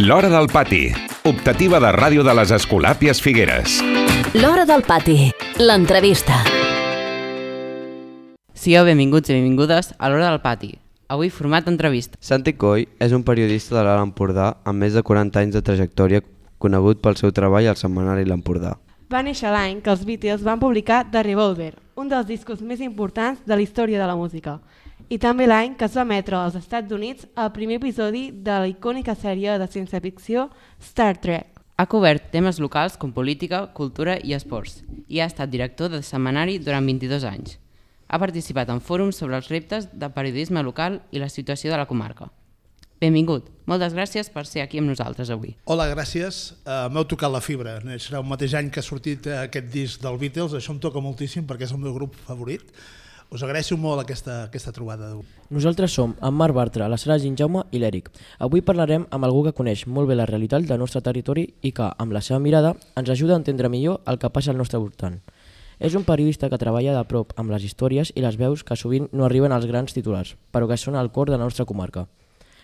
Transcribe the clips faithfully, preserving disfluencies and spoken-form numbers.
L'Hora del Pati, optativa de ràdio de les Escolàpies Figueres. L'Hora del Pati, l'entrevista. Sigueu benvinguts i benvingudes a l'Hora del Pati. Avui format entrevista. Santi Coll és un periodista de l'Alt Empordà amb més de quaranta anys de trajectòria, conegut pel seu treball al setmanari L'Empordà. Va néixer l'any que els Beatles van publicar The Revolver, un dels discos més importants de la història de la música, i també l'any que es va emetre als Estats Units el primer episodi de la icònica sèrie de ciència-ficció Star Trek. Ha cobert temes locals com política, cultura i esports i ha estat director de setmanari durant vint-i-dos anys. Ha participat en fòrums sobre els reptes de periodisme local i la situació de la comarca. Benvingut. Moltes gràcies per ser aquí amb nosaltres avui. Hola, gràcies. Uh, M'heu tocat la fibra. Serà el mateix any que ha sortit aquest disc dels Beatles. Això em toca moltíssim perquè és el meu grup favorit. Us agraeixo molt aquesta, aquesta trobada d'avui. Nosaltres som en Marc Bartra, la Sara Ginjaume i l'Eric. Avui parlarem amb algú que coneix molt bé la realitat del nostre territori i que, amb la seva mirada, ens ajuda a entendre millor el que passa al nostre voltant. És un periodista que treballa de prop amb les històries i les veus que sovint no arriben als grans titulars, però que són al cor de la nostra comarca.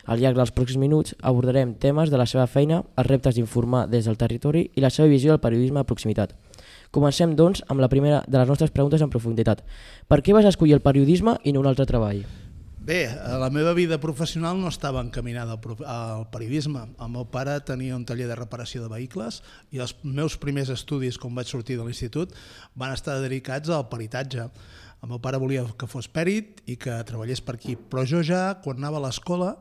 Al llarg dels pròxims minuts abordarem temes de la seva feina, els reptes d'informar des del territori i la seva visió del periodisme de proximitat. Comencem, doncs, amb la primera de les nostres preguntes en profunditat. Per què vas escollir el periodisme i no un altre treball? Bé, la meva vida professional no estava encaminada al periodisme. El meu pare tenia un taller de reparació de vehicles i els meus primers estudis, quan vaig sortir de l'institut, van estar dedicats al peritatge. El meu pare volia que fos pèrit i que treballés per aquí, però jo ja, quan anava a l'escola,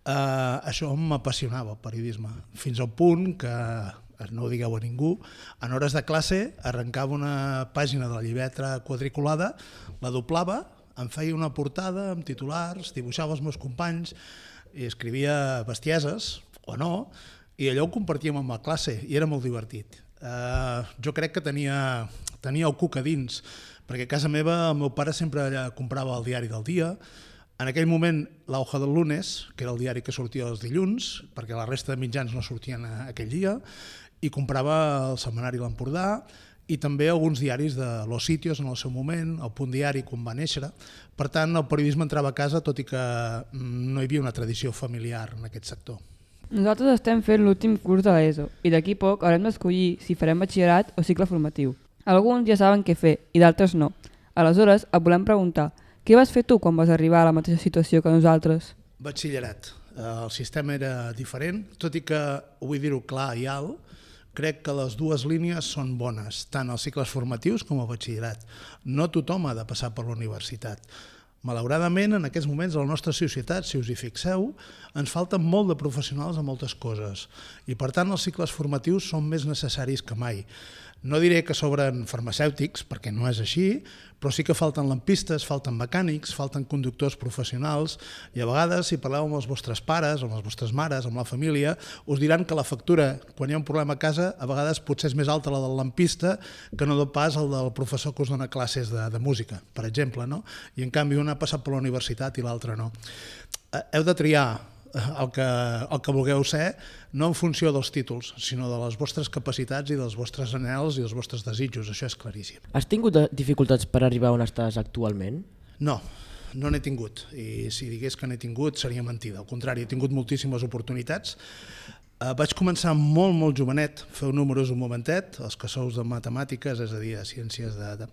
eh, això m'apassionava, el periodisme, fins al punt que, no ho digueu a ningú, en hores de classe arrencava una pàgina de la llibreta quadriculada, la doblava, em feia una portada amb titulars, dibuixava els meus companys i escrivia bestieses, o no, i allò ho compartíem amb la classe i era molt divertit. Eh, jo crec que tenia, tenia el cuc a dins, perquè a casa meva el meu pare sempre comprava el diari del dia. En aquell moment la Hoja del Lunes, que era el diari que sortia els dilluns, perquè la resta de mitjans no sortien aquell dia, i comprava el setmanari L'Empordà i també alguns diaris de Los Sitios en el seu moment, el Punt Diari quan va néixer. Per tant, el periodisme entrava a casa, tot i que no hi havia una tradició familiar en aquest sector. Nosaltres estem fent l'últim curs de l'ESO i d'aquí poc haurem d'escollir si farem batxillerat o cicle formatiu. Alguns ja saben què fer i d'altres no. Aleshores, et volem preguntar, què vas fer tu quan vas arribar a la mateixa situació que nosaltres? Batxillerat. El sistema era diferent, tot i que, vull dir-ho clar i alt, crec que les dues línies són bones, tant els cicles formatius com el batxillerat. No tothom ha de passar per la universitat. Malauradament, en aquests moments, a la nostra societat, si us hi fixeu, ens falten molt de professionals a moltes coses i, per tant, els cicles formatius són més necessaris que mai. No diré que sobren farmacèutics, perquè no és així, però sí que falten lampistes, falten mecànics, falten conductors professionals i a vegades, si parleu amb els vostres pares, amb les vostres mares, amb la família, us diran que la factura, quan hi ha un problema a casa, a vegades potser és més alta la del lampista que no pas el del professor que us dona classes de, de música, per exemple, no? I en canvi un ha passat per la universitat i l'altre no. Heu de triar el que, el que vulgueu ser, no en funció dels títols, sinó de les vostres capacitats i dels vostres anhels i dels vostres desitjos, això és claríssim. Has tingut dificultats per arribar on estàs actualment? No, no n'he tingut, i si digués que n'he tingut seria mentida, al contrari, he tingut moltíssimes oportunitats. Uh, vaig començar molt, molt jovenet, feu números un momentet, els que sou de matemàtiques, és a dir, de ciències de... de...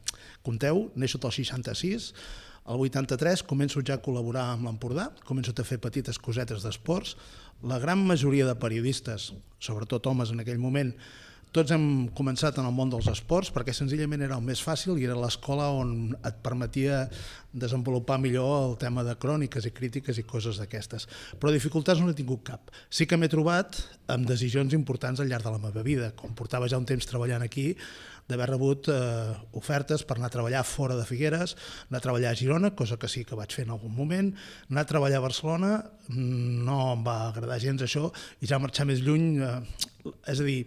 Compteu, neixo del seixanta-sis, al vuitanta-tres començo ja a col·laborar amb l'Empordà, començo a fer petites cosetes d'esports. La gran majoria de periodistes, sobretot homes en aquell moment, tots hem començat en el món dels esports perquè senzillament era el més fàcil i era l'escola on et permetia desenvolupar millor el tema de cròniques i crítiques i coses d'aquestes. Però dificultats no n'he tingut cap. Sí que m'he trobat amb decisions importants al llarg de la meva vida, com portava ja un temps treballant aquí, d'haver rebut eh, ofertes per anar a treballar fora de Figueres, anar a treballar a Girona, cosa que sí que vaig fer en algun moment, anar a treballar a Barcelona, no em va agradar gens això, i ja marxar més lluny, eh, és a dir,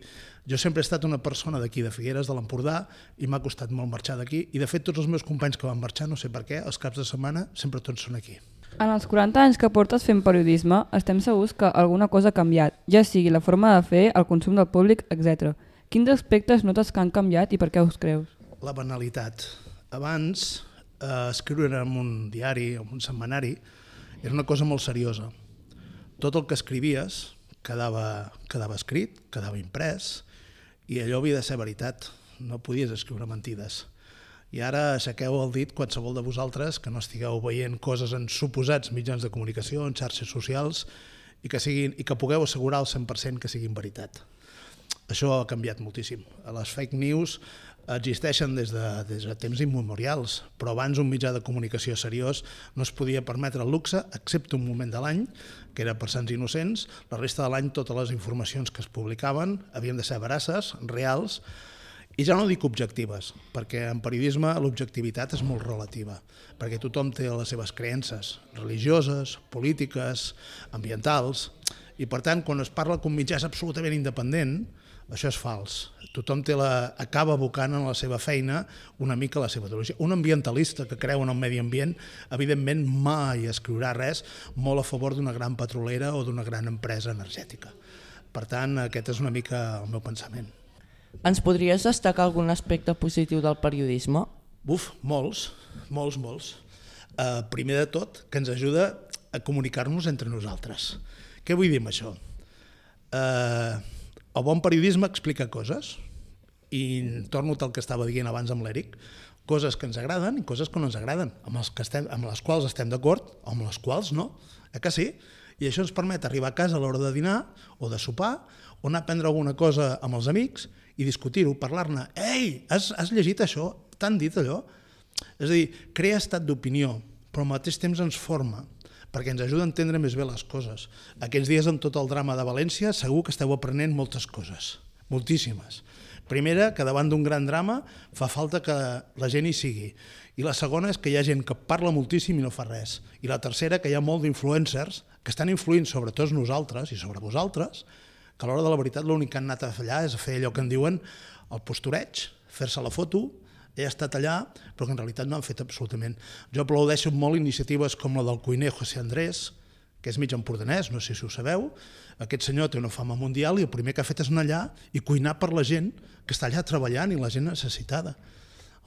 jo sempre he estat una persona d'aquí, de Figueres, de l'Empordà, i m'ha costat molt marxar d'aquí, i de fet tots els meus companys que van marxar, no sé per què, els caps de setmana sempre tots són aquí. En els quaranta anys que portes fent periodisme, estem segurs que alguna cosa ha canviat, ja sigui la forma de fer, el consum del públic, etcètera. Quins aspectes notes que han canviat i per què us creus? La banalitat. Abans, eh, escriure en un diari o en un setmanari era una cosa molt seriosa. Tot el que escrivies quedava, quedava escrit, quedava imprès, i allò havia de ser veritat, no podies escriure mentides. I ara aixequeu el dit qualsevol de vosaltres que no estigueu veient coses en suposats mitjans de comunicació, en xarxes socials, i que, siguin, i que pugueu assegurar al cent per cent que siguin veritat. Això ha canviat moltíssim. Les fake news existeixen des de, des de temps immemorials, però abans un mitjà de comunicació seriós no es podia permetre el luxe, excepte un moment de l'any, que era per Sants Innocents. La resta de l'any totes les informacions que es publicaven havien de ser veraces, reals, i ja no dic objectives, perquè en periodisme l'objectivitat és molt relativa, perquè tothom té les seves creences religioses, polítiques, ambientals, i per tant, quan es parla que un mitjà és absolutament independent, això és fals. Tothom té la, acaba abocant en la seva feina una mica la seva ideologia. Un ambientalista que creu en el medi ambient, evidentment mai escriurà res molt a favor d'una gran petrolera o d'una gran empresa energètica. Per tant, aquest és una mica el meu pensament. Ens podries destacar algun aspecte positiu del periodisme? Buf, molts, molts, molts. Uh, primer de tot, que ens ajuda a comunicar-nos entre nosaltres. Què vull dir amb això? Uh, el bon periodisme explica coses, i torno al que estava dient abans amb l'Eric, coses que ens agraden i coses que no ens agraden, amb, els que estem, amb les quals estem d'acord o amb les quals no, eh que sí? I això ens permet arribar a casa a l'hora de dinar o de sopar, o anar a prendre alguna cosa amb els amics i discutir-ho, parlar-ne. Ei, has, has llegit això? T'han dit allò? És a dir, crea estat d'opinió, però al mateix temps ens forma, perquè ens ajuda a entendre més bé les coses. Aquests dies, amb tot el drama de València, segur que esteu aprenent moltes coses, moltíssimes. Primera, que davant d'un gran drama fa falta que la gent hi sigui. I la segona és que hi ha gent que parla moltíssim i no fa res. I la tercera, que hi ha molt d'influencers que estan influint sobre tots nosaltres i sobre vosaltres, que a l'hora de la veritat l'únic que han anat a fer allà és a fer allò que en diuen el postureig, fer-se la foto, he estat allà, però que en realitat no han fet absolutament. Jo aplaudeixo molt iniciatives com la del cuiner José Andrés, que és mig empordanès, no sé si ho sabeu. Aquest senyor té una fama mundial i el primer que ha fet és anar allà i cuinar per la gent que està allà treballant i la gent necessitada.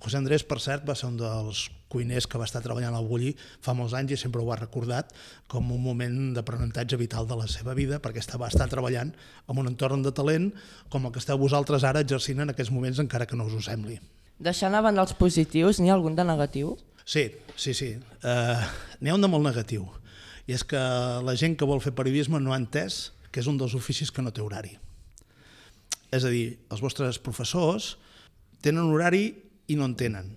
José Andrés, per cert, va ser un dels cuiners que va estar treballant al Bulli fa molts anys i sempre ho ha recordat com un moment d'aprenentatge vital de la seva vida, perquè va estar treballant en un entorn de talent com el que esteu vosaltres ara exercint en aquests moments, encara que no us ho sembli. Deixant a banda els positius, n'hi ha algun de negatiu? Sí, sí, sí. Uh, n'hi ha un de molt negatiu. I és que la gent que vol fer periodisme no ha entès que és un dels oficis que no té horari. És a dir, els vostres professors tenen horari i no en tenen,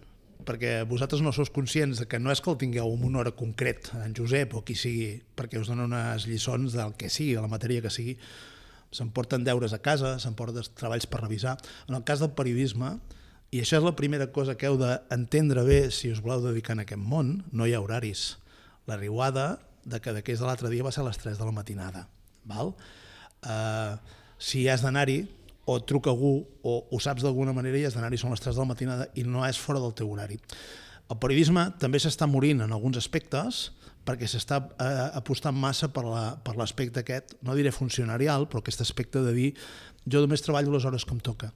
perquè vosaltres no sou conscients de que no és que el tingueu en una hora concret, en Josep o qui sigui, perquè us donen unes lliçons del que sigui, de la matèria que sigui, s'emporten deures a casa, s'emporten treballs per revisar. En el cas del periodisme, i això és la primera cosa que heu d'entendre bé si us voleu dedicar a aquest món, no hi ha horaris. La riuada de que d'aquells de l'altre dia va ser a les tres de la matinada. Val? Uh, si has d'anar-hi, o truca algú, o ho saps d'alguna manera i has d'anar-hi, són les tres de la matinada i no és fora del teu horari. El periodisme també s'està morint en alguns aspectes perquè s'està eh, apostant massa per l'aspecte aquest, no diré funcionarial, però aquest aspecte de dir jo només treballo les hores que em toca.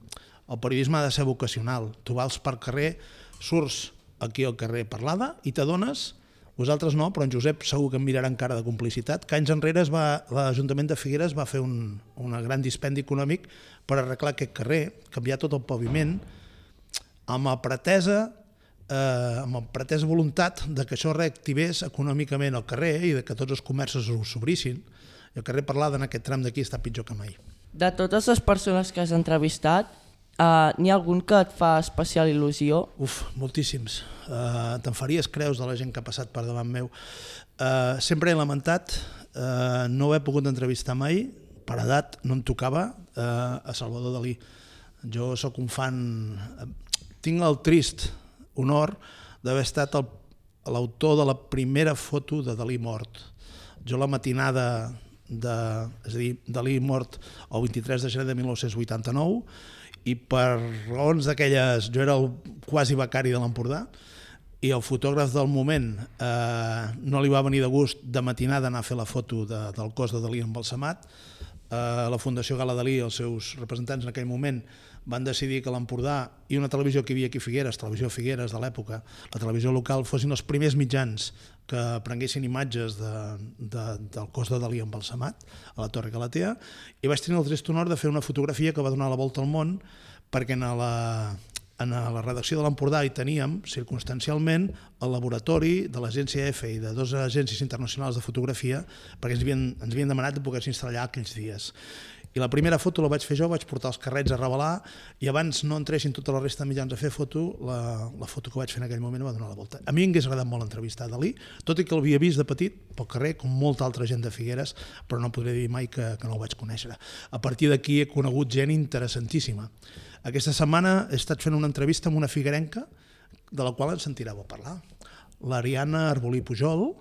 El periodisme ha de ser vocacional. Tu vas per carrer, surts aquí al carrer parlada i t'adones, vosaltres no, però en Josep segur que em mirarà en cara de complicitat, que anys enrere l'Ajuntament de Figueres va fer un, un gran dispendi econòmic per arreglar aquest carrer, canviar tot el paviment, amb la pretesa, eh, amb la pretesa voluntat de que això reactivés econòmicament el carrer i de que tots els comerços s'obrissin. I el carrer Parlada en aquest tram d'aquí està pitjor que mai. De totes les persones que has entrevistat, Uh, n'hi ha algun que et fa especial il·lusió? Uf, moltíssims. Uh, Te'n faries creus de la gent que ha passat per davant meu. Uh, sempre he lamentat uh, no haver pogut entrevistar mai, per edat no em tocava, uh, a Salvador Dalí. Jo sóc un fan... Tinc el trist honor d'haver estat l'autor de la primera foto de Dalí mort. Jo la matinada de... És a dir, Dalí mort el vint-i-tres de gener de mil nou-cents vuitanta-nou, i per raons d'aquelles, jo era el quasi becari de l'Empordà i el fotògraf del moment eh, no li va venir de gust de matinada anar a fer la foto de, del cos de Dalí embalsamat, eh, la Fundació Gala Dalí, els seus representants en aquell moment, van decidir que l'Empordà i una televisió que hi havia aquí a Figueres, Televisió Figueres de l'època, la televisió local, fossin els primers mitjans que prenguessin imatges de, de, del cos de Dalí embalsamat a la Torre Galatea, i vaig tenir el trist honor de fer una fotografia que va donar la volta al món, perquè en la, en la redacció de l'Empordà hi teníem, circumstancialment, el laboratori de l'agència E F I i de dues agències internacionals de fotografia, perquè ens havien, ens havien demanat de poder s'instal·lar aquells dies. I la primera foto la vaig fer jo, vaig portar els carrets a revelar, i abans no entressin tota la resta de mitjans a fer foto, la, la foto que vaig fer en aquell moment va donar la volta. A mi m'hagués agradat molt entrevistar Dalí, tot i que l'havia vist de petit pel carrer, com molta altra gent de Figueres, però no podré dir mai que, que no el vaig conèixer. A partir d'aquí he conegut gent interessantíssima. Aquesta setmana he estat fent una entrevista amb una figuerenca, de la qual ens sentireu a parlar. L'Ariana Arbolí Pujol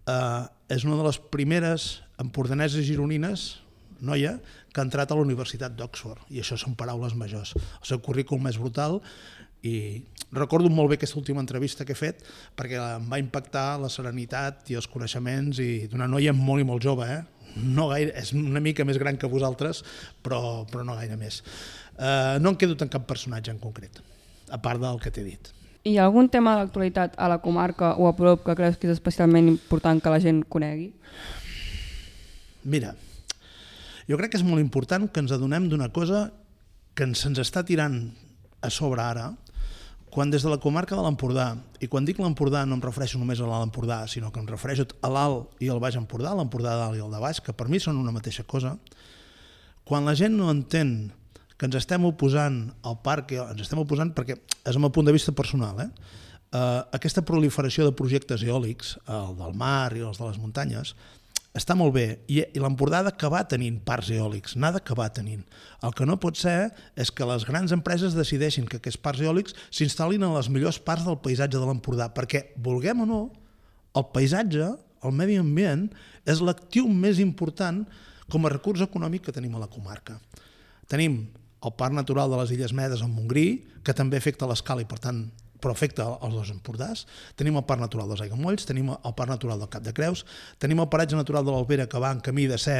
eh, és una de les primeres empordaneses gironines, noia, que ha entrat a la Universitat d'Oxford, i això són paraules majors. El seu currículum és brutal, i recordo molt bé aquesta última entrevista que he fet, perquè em va impactar la serenitat i els coneixements, i d'una noia molt i molt jove, eh? No gaire, és una mica més gran que vosaltres, però, però no gaire més. Eh, no em quedo en cap personatge en concret, a part del que t'he dit. Hi ha algun tema de l'actualitat a la comarca o a prop que creus que és especialment important que la gent conegui? Mira, jo crec que és molt important que ens adonem d'una cosa que se'ns està tirant a sobre ara, quan des de la comarca de l'Empordà, i quan dic l'Empordà no em refereixo només a l'Alt Empordà, sinó que em refereixo a l'Alt i al Baix Empordà, l'Empordà de dalt i el de baix, que per mi són una mateixa cosa, quan la gent no entén que ens estem oposant al parc, ens estem oposant perquè és el meu punt de vista personal, eh? Uh, aquesta proliferació de projectes eòlics, el del mar i els de les muntanyes, està molt bé, i, i l'Empordà ha d'acabar tenint parcs eòlics, n'ha d'acabar tenint. El que no pot ser és que les grans empreses decideixin que aquests parcs eòlics s'instal·lin en les millors parts del paisatge de l'Empordà, perquè, vulguem o no, el paisatge, el medi ambient, és l'actiu més important com a recurs econòmic que tenim a la comarca. Tenim el Parc Natural de les Illes Medes en Montgrí, que també afecta l'escala i, per tant, però afecta els dos Empordàs. Tenim el Parc Natural dels Aiguamolls, tenim el Parc Natural del Cap de Creus, tenim el Paratge Natural de l'Albera, que va en camí de ser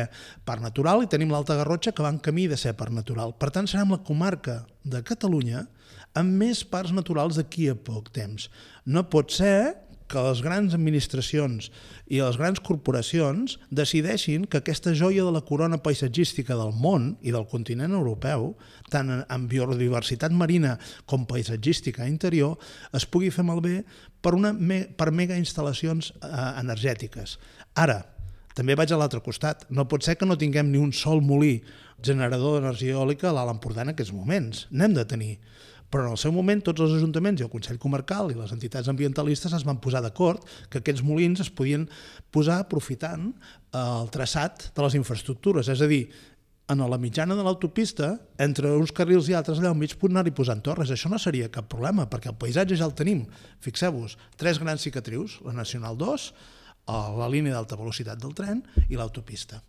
Parc Natural, i tenim l'Alta Garrotxa, que va en camí de ser Parc Natural. Per tant, serem la comarca de Catalunya amb més parcs naturals d'aquí a poc temps. No pot ser que les grans administracions i les grans corporacions decideixin que aquesta joia de la corona paisatgística del món i del continent europeu, tant en biodiversitat marina com paisatgística interior, es pugui fer malbé per, una, per mega instal·lacions eh, energètiques. Ara, també vaig a l'altre costat. No pot ser que no tinguem ni un sol molí generador d'energia eòlica a l'Alt Empordà en aquests moments. N'hem de tenir. Però en el seu moment tots els ajuntaments i el Consell Comarcal i les entitats ambientalistes es van posar d'acord que aquests molins es podien posar aprofitant el traçat de les infraestructures, és a dir, en la mitjana de l'autopista, entre uns carrils i altres allà al mig pot anar-hi posant torres. Això no seria cap problema, perquè el paisatge ja el tenim. Fixeu-vos, tres grans cicatrius, la Nacional dos, la línia d'alta velocitat del tren i l'autopista.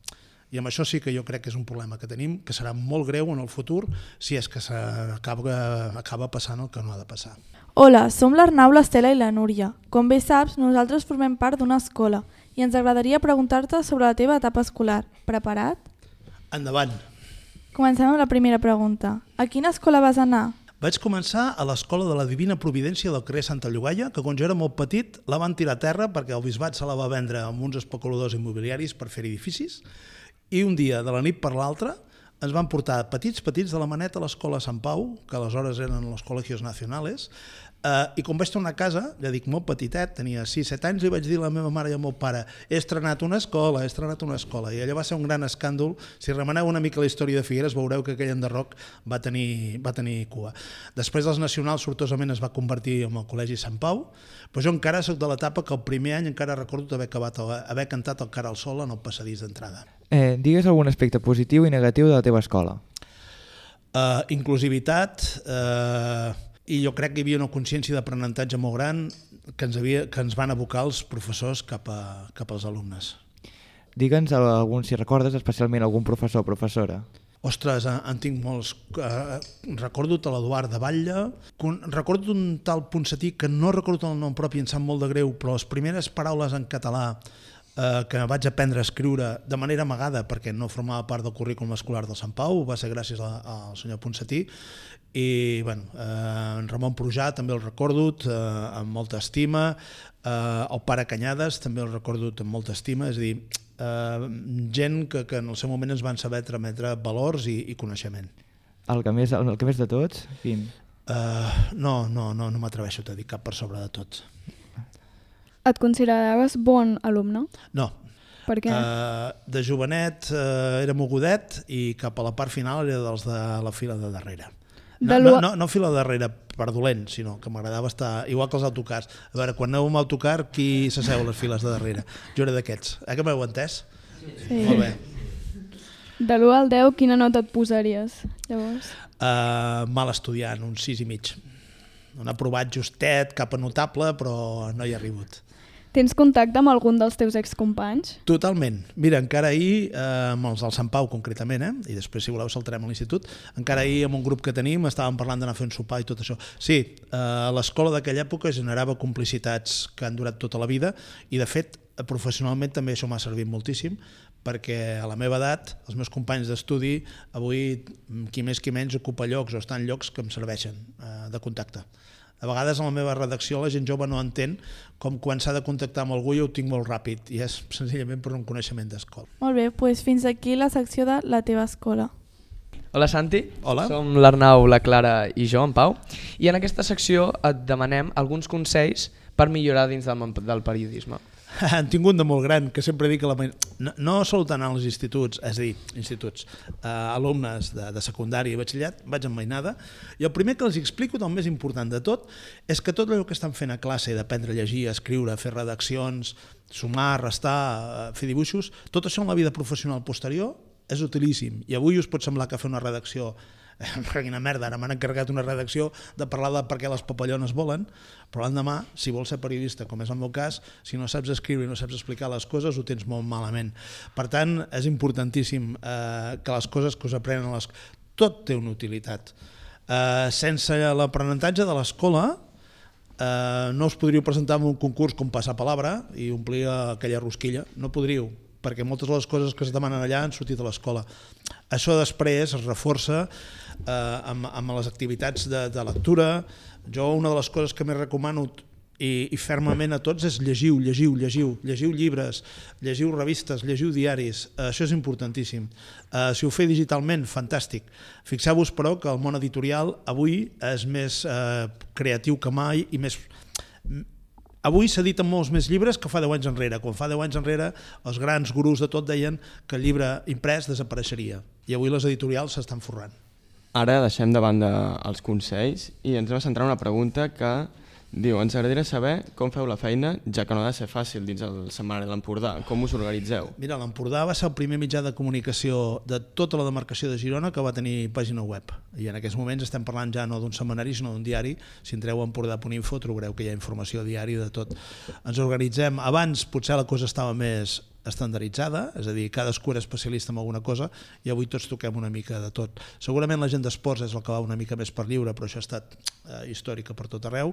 I amb això sí que jo crec que és un problema que tenim, que serà molt greu en el futur si és que s'acaba acaba passant el que no ha de passar. Hola, som l'Arnau, l'Estela i la Núria. Com bé saps, nosaltres formem part d'una escola i ens agradaria preguntar-te sobre la teva etapa escolar. Preparat? Endavant. Comencem amb la primera pregunta. A quina escola vas anar? Vaig començar a l'Escola de la Divina Providència del carrer Santa Llogaia, que quan jo era molt petit la van tirar a terra perquè el bisbat se la va vendre amb uns especuladors immobiliaris per fer edificis, i un dia, de la nit per l'altra, ens van portar petits, petits de la maneta a l'Escola Sant Pau, que aleshores eren els Col·legios Nacionales, Uh, I quan vaig tornar a casa, ja dic molt petitet, tenia sis set anys, li vaig dir a la meva mare i al meu pare: he estrenat una escola, he estrenat una escola. I allò va ser un gran escàndol. Si remeneu una mica la història de Figueres veureu que aquell enderroc va tenir, va tenir cua. Després dels nacionals sortosament es va convertir en el Col·legi Sant Pau, però jo encara soc de l'etapa que el primer any encara recordo haver, acabat, haver cantat el Cara al Sol en el passadís d'entrada. Eh, digues algun aspecte positiu i negatiu de la teva escola. Uh, inclusivitat, uh, i jo crec que hi havia una consciència d'aprenentatge molt gran que ens, havia, que ens van abocar els professors cap, a, cap als alumnes. Digue'ns algun, si recordes especialment algun professor o professora. Ostres, en tinc molts. Uh, recordo l'Eduard de Batlle, recordo un tal Ponsatí que no recordo el nom propi, em sap molt de greu, però les primeres paraules en català eh, que vaig aprendre a escriure de manera amagada perquè no formava part del currículum escolar del Sant Pau, va ser gràcies a, al senyor Ponsatí, i bueno, eh, en Ramon Prujà també el recordo eh, amb molta estima, eh, el pare Canyades també el recordo amb molta estima, és a dir, eh, gent que, que en el seu moment ens van saber trametre valors i, i coneixement. El que més, el que més de tots? Quin? Uh, no, no, no, no m'atreveixo a dir cap per sobre de tots. Et consideraves bon alumne? No. Per què? Uh, de jovenet uh, era mogudet i cap a la part final era dels de la fila de darrere. No, no, no, no fila de darrere per dolent, sinó que m'agradava estar igual que els autocars. A veure, quan aneu amb autocar, qui s'asseu a les files de darrere? Jo era d'aquests. Eh que m'heu entès? Sí. Molt bé. De l'u al deu, quina nota et posaries, llavors? Uh, mal estudiant, un sis i mig. Un aprovat justet, cap a notable, però no hi ha arribat. Tens contacte amb algun dels teus excompanys? Totalment. Mira, encara ahir, eh, amb els del Sant Pau concretament, eh, i després si voleu saltarem a l'institut, encara ahir amb un grup que tenim estàvem parlant d'anar a fer un sopar i tot això. Sí, eh, l'escola d'aquella època generava complicitats que han durat tota la vida i de fet professionalment també això m'ha servit moltíssim perquè a la meva edat els meus companys d'estudi avui qui més qui menys ocupa llocs o està en llocs que em serveixen eh, de contacte. A vegades a la meva redacció la gent jove no entén com quan s'ha de contactar amb algú jo ho tinc molt ràpid i és senzillament per un coneixement d'escola. Molt bé, doncs fins aquí la secció de la teva escola. Hola Santi, Hola. Som l'Arnau, la Clara i jo, en Pau, i en aquesta secció et demanem alguns consells per millorar dins del món del periodisme. Han tingut de molt gran, que sempre dic que la... no, no sol tant als instituts, és a dir, instituts, eh, alumnes de, de secundària i batxillerat, vaig amb mainada, i el primer que els explico, el més important de tot, és que tot allò que estan fent a classe, d'aprendre a llegir, a escriure, a fer redaccions, sumar, restar, fer dibuixos, tot això en la vida professional posterior és utilíssim, i avui us pot semblar que fer una redacció quina merda, ara m'han encarregat una redacció de parlar de per què les papallones volen, però l'endemà, si vols ser periodista, com és el meu cas, si no saps escriure i no saps explicar les coses, ho tens molt malament. Per tant, és importantíssim eh, que les coses que us aprenen, les... tot té una utilitat. Eh, sense l'aprenentatge de l'escola, eh, no us podríeu presentar en un concurs com passar palabra i omplir aquella rosquilla, no podríeu, perquè moltes de les coses que es demanen allà han sortit a l'escola. Això després es reforça eh, amb, amb les activitats de, de lectura. Jo una de les coses que més recomano i, i fermament a tots és llegiu, llegiu, llegiu, llegiu llibres, llegiu revistes, llegiu diaris, eh, això és importantíssim. Eh, si ho feu digitalment, fantàstic. Fixeu-vos però que el món editorial avui és més eh, creatiu que mai i més... Avui s'editen molts més llibres que fa deu anys enrere. Quan fa deu anys enrere els grans gurus de tot deien que el llibre imprès desapareixeria i avui les editorials s'estan forrant. Ara deixem de banda els consells i ens hem de centrar en una pregunta que diu: ens agradaria saber com feu la feina, ja que no ha de ser fàcil dins el setmanari de l'Empordà. Com us organitzeu? Mira, l'Empordà va ser el primer mitjà de comunicació de tota la demarcació de Girona que va tenir pàgina web. I en aquests moments estem parlant ja no d'un setmanari, sinó d'un diari. Si entreu a empordà punt info trobareu que hi ha informació diària de tot. Ens organitzem. Abans potser la cosa estava més estandarditzada, és a dir, cadascú era especialista en alguna cosa i avui tots toquem una mica de tot. Segurament la gent d'esports és el que va una mica més per lliure, però això ha estat eh, històrica per tot arreu.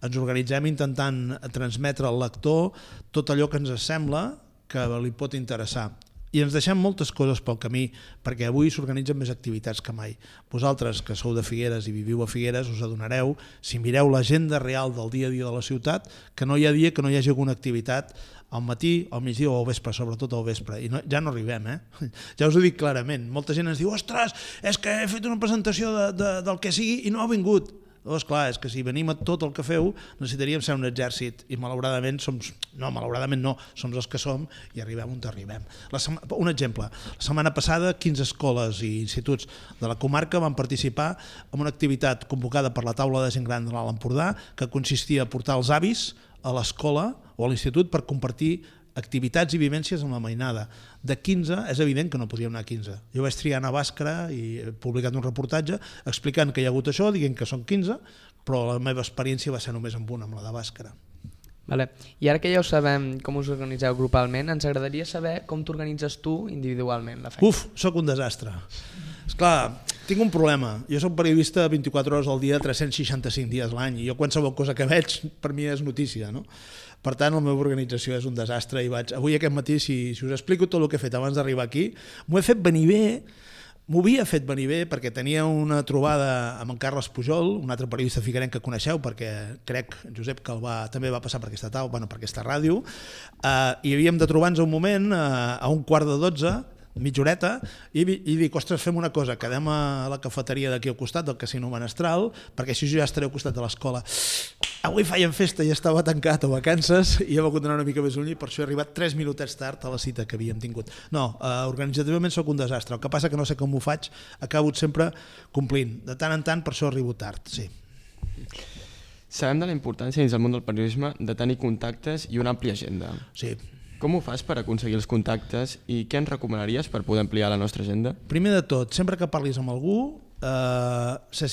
Ens organitzem intentant transmetre al lector tot allò que ens sembla que li pot interessar. I ens deixem moltes coses pel camí, perquè avui s'organitzen més activitats que mai. Vosaltres, que sou de Figueres i viviu a Figueres, us adonareu, si mireu l'agenda real del dia a dia de la ciutat, que no hi ha dia que no hi hagi alguna activitat al matí, al migdia o al vespre, sobretot al vespre. I no, ja no arribem, eh? Ja us ho dic clarament. Molta gent ens diu: ostres, és que he fet una presentació de, de, del que sigui i no ha vingut. Doncs clar, és que si venim a tot el que feu necessitaríem ser un exèrcit i malauradament som, no, malauradament no, som els que som i arribem on arribem. La sema, un exemple, la setmana passada quinze escoles i instituts de la comarca van participar en una activitat convocada per la taula de gent gran de l'Alt Empordà que consistia a portar els avis a l'escola o a l'institut per compartir activitats i vivències amb la mainada. De quinze, és evident que no podíem anar a quinze. Jo vaig triar anar a Bàscara i he publicat un reportatge explicant que hi ha hagut això, dient que són quinze, però la meva experiència va ser només amb una, amb la de Bàscara. Vale. I ara que ja ho sabem com us organitzeu grupalment, ens agradaria saber com t'organitzes tu individualment la feina. Uf, sóc un desastre. Esclar, Tinc un problema. Jo soc periodista vint-i-quatre hores al dia, tres-cents seixanta-cinc dies l'any, i jo qualsevol cosa que veig per mi és notícia, no? Per tant, la meva organització és un desastre i vaig... Avui aquest matí, si, si us explico tot el que he fet abans d'arribar aquí, m'ho he fet venir bé, m'ho havia fet venir bé perquè tenia una trobada amb en Carles Pujol, un altre periodista figuerenc que coneixeu, perquè crec, Josep, que el va, també va passar per aquesta taula, bueno, per aquesta ràdio, eh, i havíem de trobar-nos un moment eh, a un quart de dotze, mitja horeta, i, i dic, ostres, fem una cosa, quedem a la cafeteria d'aquí al costat del Casino Menestral, perquè així jo ja estaré al costat de l'escola. Avui feien festa i estava tancat a vacances i he hagut d'anar una mica més lluny i per això he arribat tres minutets tard a la cita que havíem tingut. No, eh, organitzativament sóc un desastre, el que passa que no sé com ho faig, acabo sempre complint. De tant en tant, per això arribo tard, sí. Sabem de la importància dins el món del periodisme de tenir contactes i una àmplia agenda. Sí. Com ho fas per aconseguir els contactes i què ens recomanaries per poder ampliar la nostra agenda? Primer de tot, sempre que parlis amb algú, eh, ser,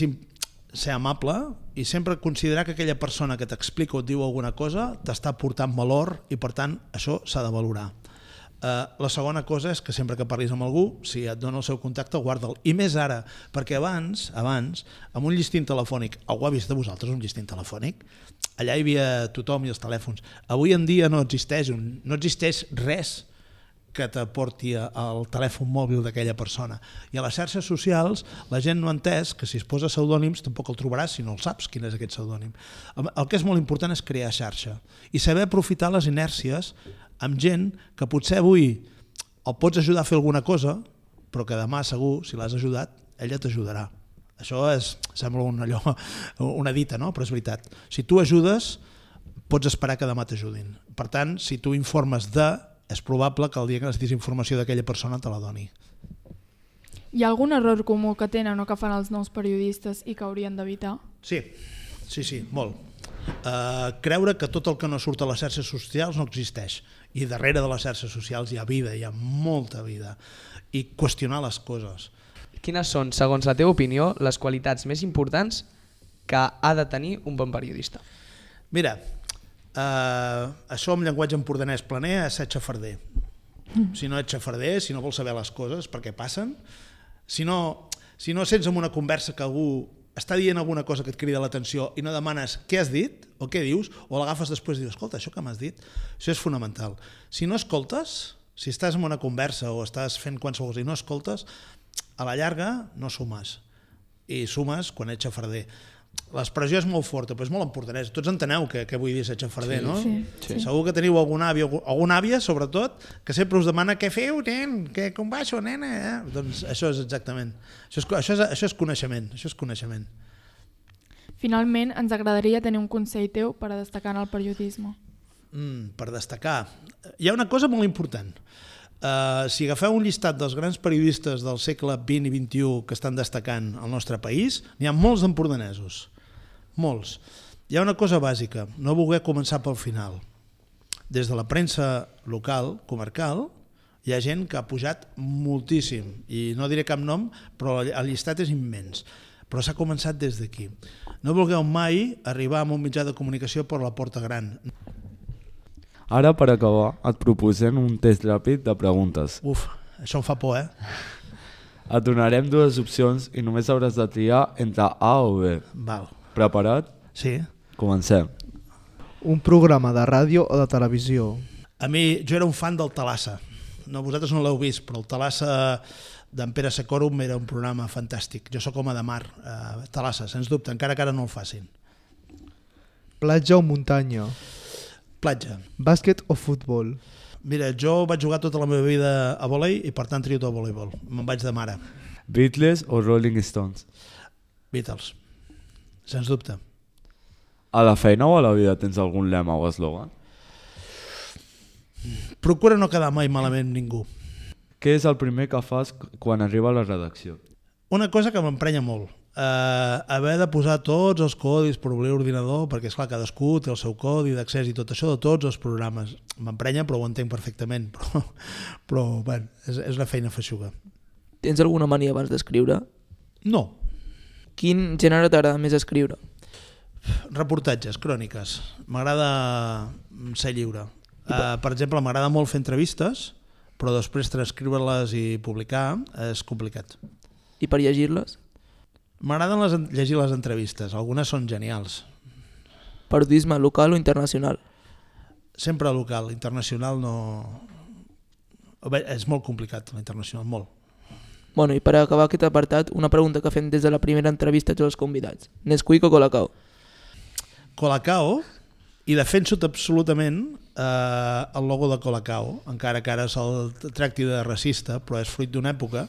ser amable i sempre considerar que aquella persona que t'explica o et diu alguna cosa t'està portant valor i per tant això s'ha de valorar. Uh, la segona cosa és que sempre que parlis amb algú, si et dona el seu contacte, guarda'l. I més ara, perquè abans, abans, amb un llistint telefònic, algú ha vist de vosaltres un llistint telefònic? Allà hi havia tothom i els telèfons. Avui en dia no existeix, un, no existeix res que t'aporti al telèfon mòbil d'aquella persona. I a les xarxes socials la gent no ha entès que si es posa pseudònims tampoc el trobaràs si no el saps quin és aquest pseudònim. El que és molt important és crear xarxa i saber aprofitar les inèrcies amb gent que potser avui el pots ajudar a fer alguna cosa, però que demà segur, si l'has ajudat, ella t'ajudarà. Això és, sembla un, allò, una dita, no? Però és veritat. Si tu ajudes, pots esperar que demà t'ajudin. Per tant, si tu informes de, és probable que el dia que necessitis informació d'aquella persona te la doni. Hi ha algun error comú que tenen o que fan els nous periodistes i que haurien d'evitar? Sí, sí, sí, molt. Uh, creure que tot el que no surt a les xarxes socials no existeix i darrere de les xarxes socials hi ha vida, hi ha molta vida i qüestionar les coses. Quines són, segons la teva opinió, les qualitats més importants que ha de tenir un bon periodista? Mira, uh, això en llenguatge empordanès planer és ser xafarder. Si no ets xafarder, si no vols saber les coses perquè passen, si no, si no sents en una conversa que algú està dient alguna cosa que et crida l'atenció i no demanes què has dit o què dius, o l'agafes després i dius, escolta, això que m'has dit, això és fonamental. Si no escoltes, si estàs en una conversa o estàs fent qualsevol cosa i no escoltes, a la llarga no sumes. I sumes quan ets xafarder. L'expressió és molt forta, però és molt empordanès. Tots enteneu què, què vull dir ser xafarder, sí, no? Sí, sí. Segur que teniu algun avi, alguna àvia, sobretot, que sempre us demana què feu, nen, que com va això, nena? Eh? Doncs això és exactament. Això és, això, és, això és coneixement, això és coneixement. Finalment, ens agradaria tenir un consell teu per a destacar en el periodisme. Mm, per destacar. Hi ha una cosa molt important. Uh, si agafeu un llistat dels grans periodistes del segle vint i vint-i-u que estan destacant al nostre país, n'hi ha molts d'empordanesos, molts. Hi ha una cosa bàsica, no voler començar pel final. Des de la premsa local, comarcal, hi ha gent que ha pujat moltíssim, i no diré cap nom, però el llistat és immens, però s'ha començat des d'aquí. No vulgueu mai arribar a un mitjà de comunicació per la porta gran. Ara, per acabar, et proposem un test ràpid de preguntes. Uf, això em fa por, eh? Et donarem dues opcions i només hauràs de triar entre A o B. Val. Preparat? Sí. Comencem. Un programa de ràdio o de televisió? A mi, jo era un fan del Thalassa. No, vosaltres no l'heu vist, però el Thalassa d'en Pere Sacorum era un programa fantàstic. Jo sóc home de mar, eh, Thalassa, sens dubte, encara que ara no el facin. Platja o muntanya? Platja. Bàsquet o futbol? Mira, jo vaig jugar tota la meva vida a vòlei i per tant trio tot voleibol. Me'n vaig de mare. Beatles o Rolling Stones? Beatles, sens dubte. A la feina o a la vida tens algun lema o eslògan? Procura no quedar mai malament ningú. Què és el primer que fas quan arriba a la redacció? Una cosa que m'emprenya molt. Uh, haver de posar tots els codis per obrir l'ordinador, perquè esclar, cadascú té el seu codi d'accés i tot això de tots els programes. M'emprenya, però ho entenc perfectament, però, però bueno, és, és una feina feixuga. Tens alguna mania abans d'escriure? No. Quin gènere t'agrada més escriure? Reportatges, cròniques. M'agrada ser lliure. Uh, per exemple, m'agrada molt fer entrevistes, però després transcriure-les i publicar és complicat. i per llegir-les? M'agraden les, llegir les entrevistes, algunes són genials. Periodisme local o internacional? Sempre local, internacional no... Bé, és molt complicat, l'internacional, molt. Bueno, i per acabar aquest apartat, una pregunta que fem des de la primera entrevista a tots els convidats. Nesquik o Colacao? Colacao, i defenso absolutament eh, el logo de Colacao, encara que ara se'l tracti de racista, però és fruit d'una època,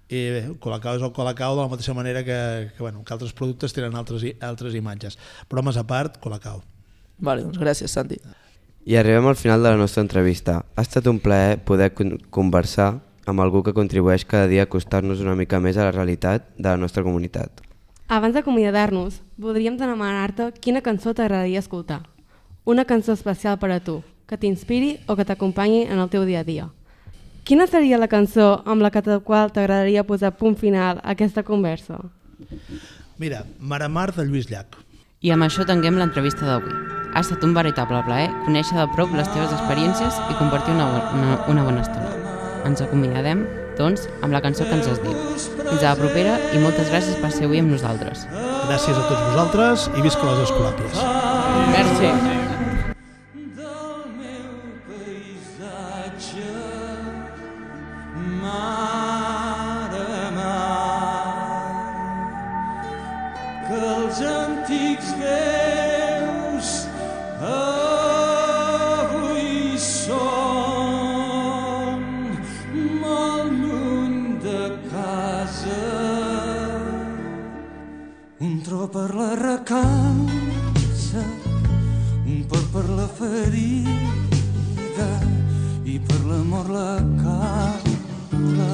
i bé, Colacao és el Colacao de la mateixa manera que, que, bueno, que altres productes tenen altres, altres imatges. Bromes a part, Colacao. Vale, doncs gràcies, Santi. I arribem al final de la nostra entrevista. Ha estat un plaer poder con- conversar amb algú que contribueix cada dia a acostar-nos una mica més a la realitat de la nostra comunitat. Abans d'acomiadar-nos, voldríem demanar-te quina cançó t'agradaria escoltar. Una cançó especial per a tu, que t'inspiri o que t'acompanyi en el teu dia a dia. Quina seria la cançó amb la que qual t'agradaria posar punt final a aquesta conversa? Mira, Maramar de Lluís Llach. I amb això tanquem l'entrevista d'avui. Ha estat un veritable plaer conèixer de prop les teves experiències i compartir una, una, una bona estona. Ens acomiadem, doncs, amb la cançó que ens has dit. Fins a la propera i moltes gràcies per ser avui amb nosaltres. Gràcies a tots vosaltres i visca les Escolàpies. Merci. Que els antics déus avui són molt lluny de casa. Un tro per la recança, un pot per la ferida i per l'amor la cala.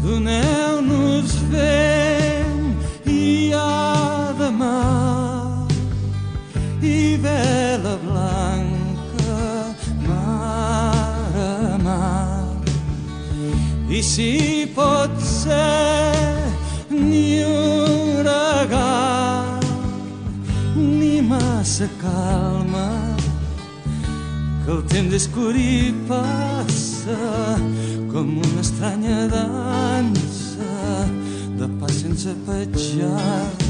Doneu-nos vent i ademà i vela blanca, mar a mar. I si pot ser ni huracà ni massa calma, que el temps és curt i passa com una estranya dansa de pas sense petjada.